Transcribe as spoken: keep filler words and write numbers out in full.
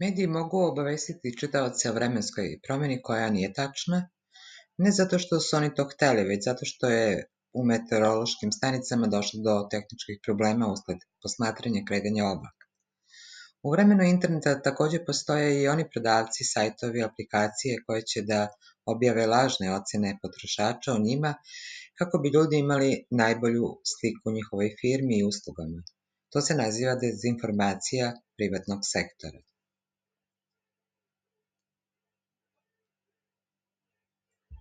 Mediji mogu obavestiti čitaoce o vremenskoj promjeni koja nije tačna, ne zato što su oni to hteli, već zato što je u meteorološkim stanicama došlo do tehničkih problema usled posmatranja kretanja oblaka. U vremenu interneta također postoje i oni prodavci, sajtovi, aplikacije koje će da objave lažne ocjene potrošača o njima kako bi ljudi imali najbolju sliku o njihovoj firmi i uslugama. To se naziva dezinformacija privatnog sektora.